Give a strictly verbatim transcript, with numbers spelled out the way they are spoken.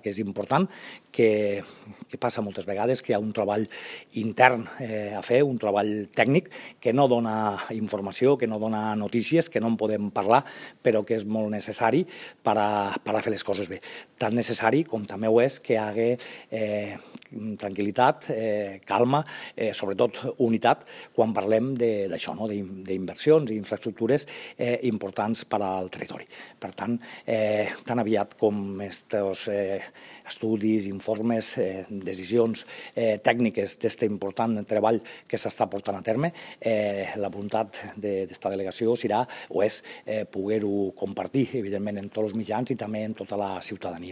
que és important, que, que passa moltes vegades que hi ha un treball intern eh, a fer, un treball tècnic que no dona informació, que no dona notícies, que no en podem parlar, però que és molt necessari per a, per a fer les coses bé. Tan necessari com també ho és que hi hagi eh, tranquil·litat, eh, calma, eh, sobretot unitat, quan parlem d'això, no? d'inversions i infraestructures eh, importants per al territori. Per tant, eh, tan aviat com estos eh, estudis, informes, eh, decisions eh, tècniques d'aquest important treball que s'està portant a terme, eh, la voluntat d'esta delegació serà o és eh, poder-ho compartir, evidentment, en tots els mitjans i també en tota la ciutadania.